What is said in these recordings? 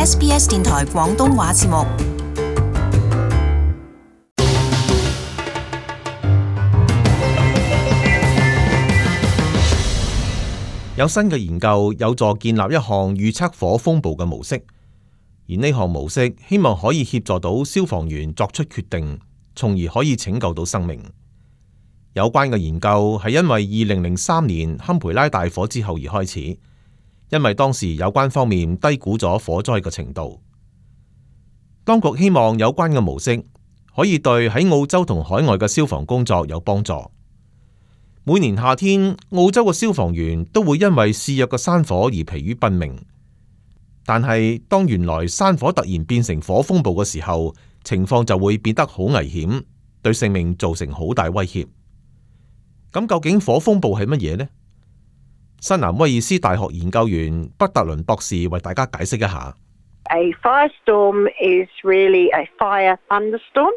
SBS 電台廣東話節目。有新嘅研究有助建立一項預測火風暴嘅模式，而呢項模式希望可以協助到消防員作出決定，從而可以拯救到生命。有關嘅研究係因為2003年堪培拉大火之後而開始，因為當時有關方面低估咗火災嘅程度。當局希望有關嘅模式可以對喺澳洲同海外嘅消防工作有幫助。每年夏天，澳洲嘅消防員都會因為肆虐嘅山火而疲於奔命。但係當原來山火突然變成火風暴嘅時候，情況就會變得好危險，對性命造成好大威脅。咁究竟火風暴係乜嘢呢？新南威爾斯大學研究員畢特倫博士為大家解釋一下。A firestorm is really a fire thunderstorm,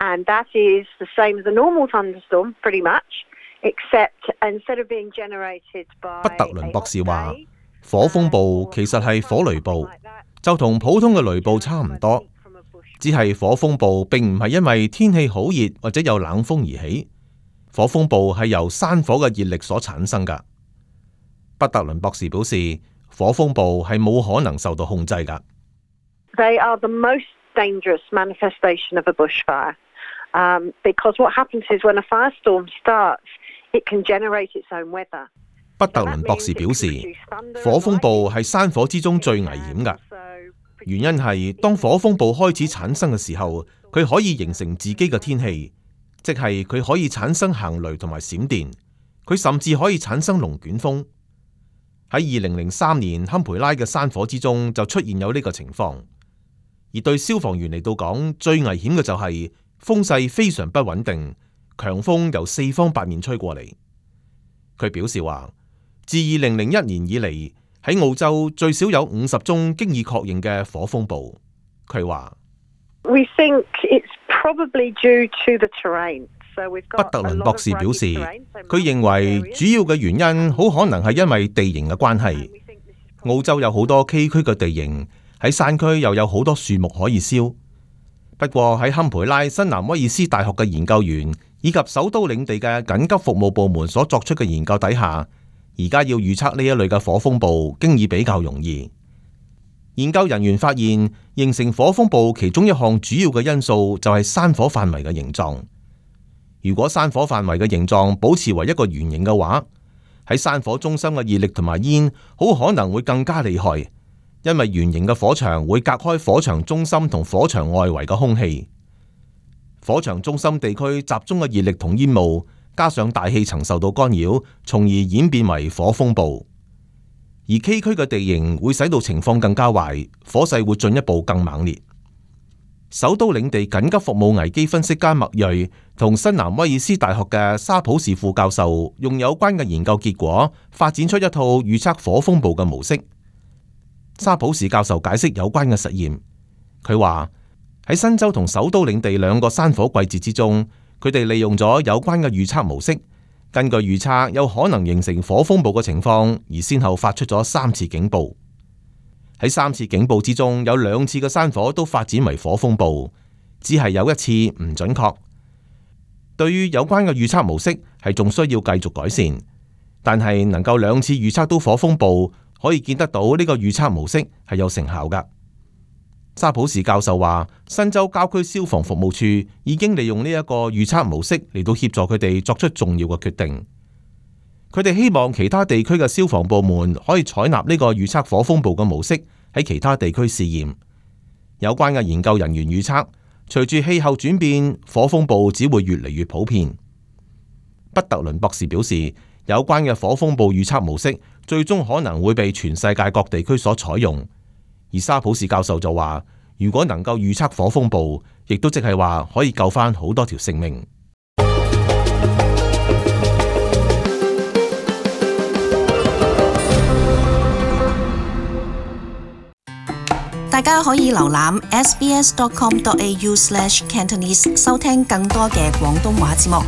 and that is the same as a normal thunderstorm, pretty much.Except instead of being generated by 畢特倫博士話，火風暴其實係火雷暴，就同普通嘅雷暴差唔多，只係火風暴並唔係因為天氣好熱或者有冷風而起，火風暴係由山火嘅熱力所產生㗎。畢特倫博士表示，火風暴係冇可能受到控制㗎。They are the most dangerous manifestation of a bushfire.Because what happens is when a firestorm starts,It can generate its own weather. 畢特倫博士表示，火風暴係山火之中最危險㗎。原因係當火風暴開始產生嘅時候，佢可以形成自己嘅天氣，即係佢可以產生行雷同埋閃電，佢甚至可以產生龍捲風。喺2003年堪培拉嘅山火之中就出現有呢個情況，而對消防員嚟到講，最危險嘅就係風勢非常不穩定。強風由四方八面吹過嚟。佢表示話，自2001年以嚟，喺澳洲最少有50宗經已確認嘅火風暴。佢話，We think it's probably due to the terrain. 畢特倫博士表示，佢認為主要嘅原因好可能係因為地形嘅關係。澳洲有好多崎嶇嘅地形，喺山區又有好多樹木可以燒。不過喺堪培拉新南威爾斯大學嘅研究員以及首都領地嘅緊急服務部門所作出嘅研究底下，而家要預測呢一類嘅火風暴經已比較容易。研究人員發現，形成火風暴其中一項主要嘅因素就係山火範圍嘅形狀。如果山火範圍嘅形狀保持為一個圓形嘅話，喺山火中心嘅熱力同埋煙好可能會更加厲害，因為圓形嘅火場會隔開火場中心同火場外圍嘅空氣。火場中心地區集中嘅熱力同煙霧，加上大氣層受到干擾，從而演變為火風暴。而崎嶇嘅地形會使到情況更加壞，火勢會進一步更猛烈。首都領地緊急服務危機分析家麥瑞同新南威爾斯大學嘅沙普士副教授用有關嘅研究結果，發展出一套預測火風暴嘅模式。沙普士教授解釋有關嘅實驗，佢話喺新州同首都領地兩個山火季節之中，佢哋利用咗有關嘅預測模式，根據預測有可能形成火風暴嘅情況，而先後發出咗3次警報。喺3次警報之中，有2次嘅山火都發展為火風暴，只係有1次唔準確。對於有關嘅預測模式係仲需要繼續改善，但係能夠2次預測到火風暴，可以見得到呢個預測模式係有成效㗎。沙普士教授話，新州郊區消防服務處已經利用呢一個預測模式嚟到協助佢哋作出重要嘅決定。佢哋希望其他地區嘅消防部門可以採納呢個預測火風暴嘅模式喺其他地區試驗。有關嘅研究人員預測，隨住氣候轉變，火風暴只會越嚟越普遍。畢特倫博士表示，有關嘅火風暴預測模式最終可能會被全世界各地區所採用。而沙普士教授就話，如果能夠預測火風暴，亦都即係話可以救返好多條性命。大家可以瀏覽 sbs.com.au/cantonese 收聽更多嘅廣東話節目。